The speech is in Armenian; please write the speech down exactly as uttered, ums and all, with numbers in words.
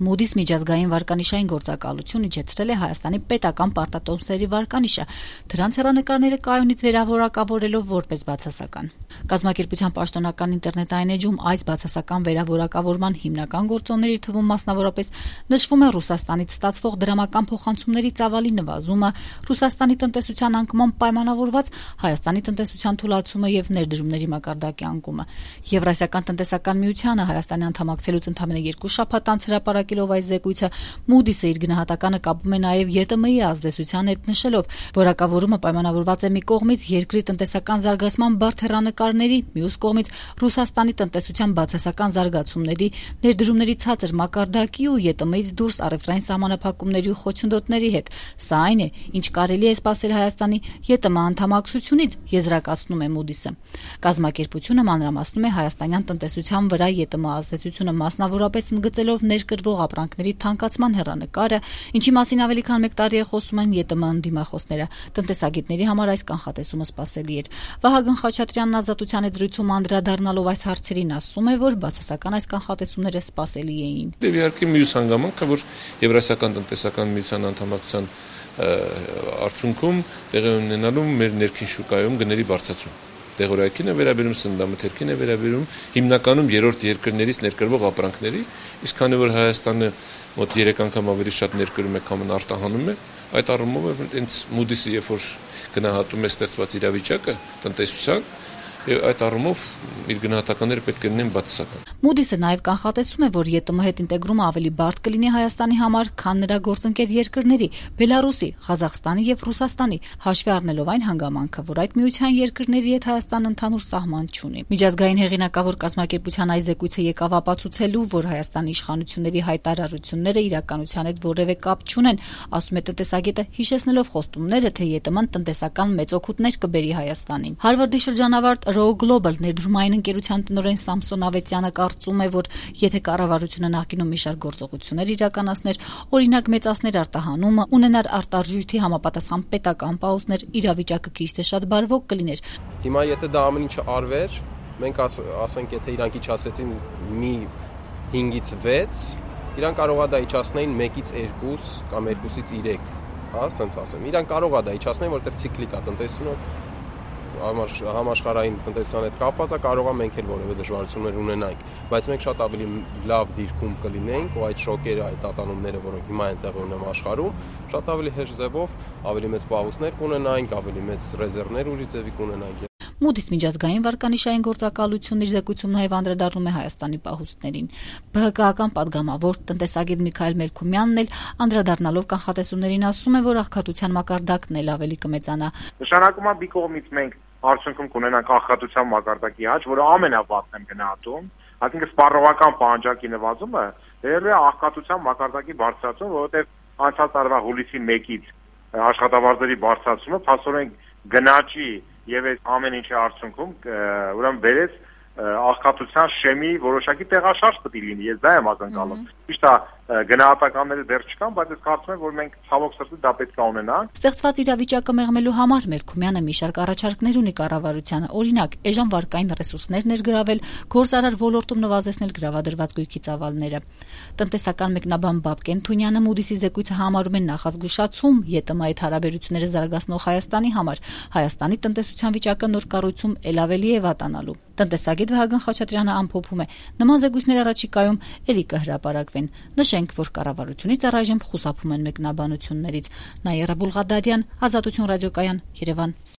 Moody's միջազգային վարկանիշային գործակալություն իջեցրել է Հայաստանի պետական պարտատոմսերի վարկանիշը, դրանց հեռանկարները կայունից վերավորակավորելով որպես բացասական։ Կազմակերպության պաշտոնական ինտերնետային էջում այս բացասական վերավորակավորման հիմնական գործոնների թվում մասնավորապես նշվում է Ռուսաստանից ստացվող դրամական փոխանցումների ծավալի նվազումը, Ռուսաստանի տնտեսության անկման պայմանավորված Հայաստանի տնտեսության թուլացումը եւ ներդրումների մակարդակի անկումը։ Եվրասիական տնտեսական միությանը Հայաստանի անդամակցելուց ընդամենը երկու շաբաթ անց հրապարակելով այս զեկույցը, Moody's-ը իր գնահատականը կապում է նաեւ ԵՏՄ-ի ազդեցության հետ, նշելով, որակավորումը պայմանավորված է մի կողմից երկրի տնտեսական զարգացման բարդ հեռանկարների, մյուս կողմից Ռուսաստանի տնտեսության բացասական զարգացումների, ներդրումների ցածր մակարդակի ու ԵՏՄ-ից դուրս առևտրային սահմանափակումների ու խոչընդոտների հետ։ Սա այն է, ինչ կարելի է սպասել Հայաստանի ԵՏՄ անդամակցությունից, եզրակացնում է Moody's-ը։ Կազմակերպությունը մանրամասնում է հայաստանյան տնտեսության վրա ԵՏՄ ազդեցությունը, մասնավորապես ընդգծելով ներկրվող ապրանքների թանկացման հեռանկարը, ինչի մասին ավելի քան մեկ տարի է խոսում են ԵՏՄ ընդդիմախոսները։ Տնտեսագետների համար այս կանխատեսումը սպասելի էր։ Վահագն Խաչատրյանն Ազատության հետ զրույցում անդրադառնալով այս հարցերին ասում է, որ բացասական այս կանխատեսումները սպասելի էին։ Եվ իհարկե մյուս հանգամանքը, որ Եվրասիական տնտեսական միության անդամակցության արդյունքում տեղի ունենալու մեր ներքին շուկայում գների բարձրացում։ Դեղորայքին է վերաբերում, սննդամթերքին է վերաբերում, հիմնականում երրորդ երկրներից ներկրվող ապրանքների, իսկ քանի որ Հայաստանը մոտ երեք անգամ ավելի շատ ներկրում է, քան արտահանում է, այդ առումով հենց Moody's-ը երբ որ գնահատում է ստեղծված իրավիճակը տնտեսության, եւ այդ առումով իր գնահատականները պետք է լինեն բացասական։ Moody's-ը նաեւ կանխատեսում է, որ ԵՏՄ հետ ինտեգրումը ավելի բարդ կլինի Հայաստանի համար, քան նրա գործընկեր երկրների՝ Բելարուսի, Ղազախստանի եւ Ռուսաստանի, հաշվի առնելով այն հանգամանքը, որ այդ միության երկրների հետ Հայաստանը ընդհանուր սահման չունի։ Միջազգային հեղինակավոր կազմակերպության այս զեկույցը եկավ ապացուցելու, որ Հայաստանի իշխանությունների հայտարարությունները իրականության հետ որևէ կապ չունեն, ասում է տնտեսագետը, հիշեցնելով խոստումները, թե ԵՏՄ-ն տնտեսական մեծ օգուտներ կբերի Հայաստանին։ Հարվարդի շրջանավարտ Row Global ներդրումային ընկերության տնօրեն Սամսոն Ավետյանը կարծում է, որ եթե կառավարությունը նախկինում մի շարք գործողություններ իրականացներ, օրինակ մեծացներ արտահանումը, ունենար արտարժույթի համապատասխան պետական պահոստներ, իրավիճակը քիչ թե շատ բարվոք կլիներ։ Հիմա եթե դա ամեն ինչը արվեր, մենք աս, ասենք եթե իրանք իջացրեցին մի հինգից վեց, իրանք կարող է դա իջացնեին մեկից երկու կամ երկուսից երեք, հա, ասենց ասեմ։ Իրանք կարող է դա իջացնեն, որովհետև ցիկլիկ է տնտեսությունը, համաշխարհային տնտեսության հետ կապված է, կարող է մենք էլ որևէ դժվարություններ ունենանք, բայց մենք շատ ավելի լավ դիրքում կլինենք ու այդ շոկերը, այդ ատանումները, որոնք հիմա են տեղի ունենում աշխարհում, շատ ավելի հեշտ ձևով, ավելի մեծ պահուստներ կունենանք, ավելի մեծ ռեզերվներ ուժի ձևի կունենանք։ Moody's միջազգային վարկանիշային գործակալությունն իր զեկույցում նաև անդրադառնում է Հայաստանի պահուստներին։ ԲՀԿ-ական падգամավոր տնտեսագետ Միքայել Մելքումյանն էլ անդրադառնալով կանխատեսումներին ասում է, որ աղքատության մակարդակն էլ ավելի կմեծանա։ Նշանակում է մի կողմից մենք արդյունքում կունենանք աղքատության մակարդակի աճ, որը ամենավատն եմ գնահատում, այսինքն սպառողական պահանջարկի նվազումը դերևս է աղքատության մակարդակի բարձրացում, որովհետև անցած տարվա հուլիսի մեկից աշխատավարձերի բարձրացումը փաստորեն գնաճի եւ այս ամեն ինչի արդյունքում ուրեմն բերեց աղքատության շեմի որոշակի տեղաշարժ պետք է լինի, ես դա եմ ակնկալում։ Ճիշտ է, գնահատականները դեռ չկան, բայց ես կարծում եմ, որ մենք ցավոք սրտի դա պետք է ունենանք։ Ստեղծված իրավիճակը մեղմելու համար Մելքումյանը մի շարք առաջարկներ ունի կառավարությանը, օրինակ, էժան վարկային ռեսուրսներ ներգրավել, գործարար ոլորտում նվազեցնել գրավադրված գույքի ծավալները։ Տնտեսական մեկնաբան Բաբկեն Թունյանը Moody's-ի զեկույցը համարում է նախազգուշացում ԵՏՄ-ի հետ հարաբերությունները զարգացնող Հայաստանի համար, Հայաստանի տնտեսության վիճակը նոր կառույցում ել ավելի է վատանալու։ Տնտեսագետ Վահագն Խաչատրյանը ամփոփում է. նման զեկույցներ առաջիկայում ելի կհրապարակվեն։ Նշենք, որ կառավարությունից առայժմ խուսափում են մեկնաբանություններից։ Նաիրա Բուլղադարյան, Ազատություն ռադիոկայան, Երևան։